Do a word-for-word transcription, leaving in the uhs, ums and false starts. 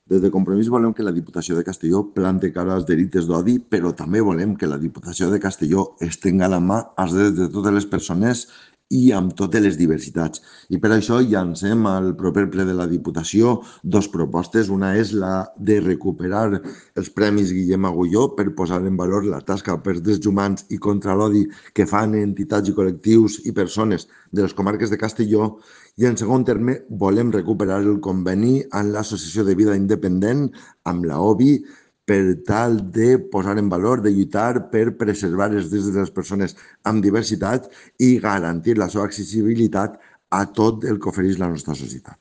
Des de Compromís volem que la Diputació de Castelló plante cara als delictes d'odi, però també volem que la Diputació de Castelló estenga la mà als drets de totes les persones i amb totes les diversitats. I per això llancem al proper ple de la Diputació dos propostes. Una és la de recuperar els Premis Guillem Agulló per posar en valor la tasca pels drets humans i contra l'odi que fan entitats i col·lectius i persones de les comarques de Castelló. I en segon terme, volem recuperar el conveni amb l'Associació de Vida Independent, amb la O B I, per tal de posar en valor, de lluitar per preservar els drets de les persones amb diversitat i garantir la seva accessibilitat a tot el que ofereix la nostra societat.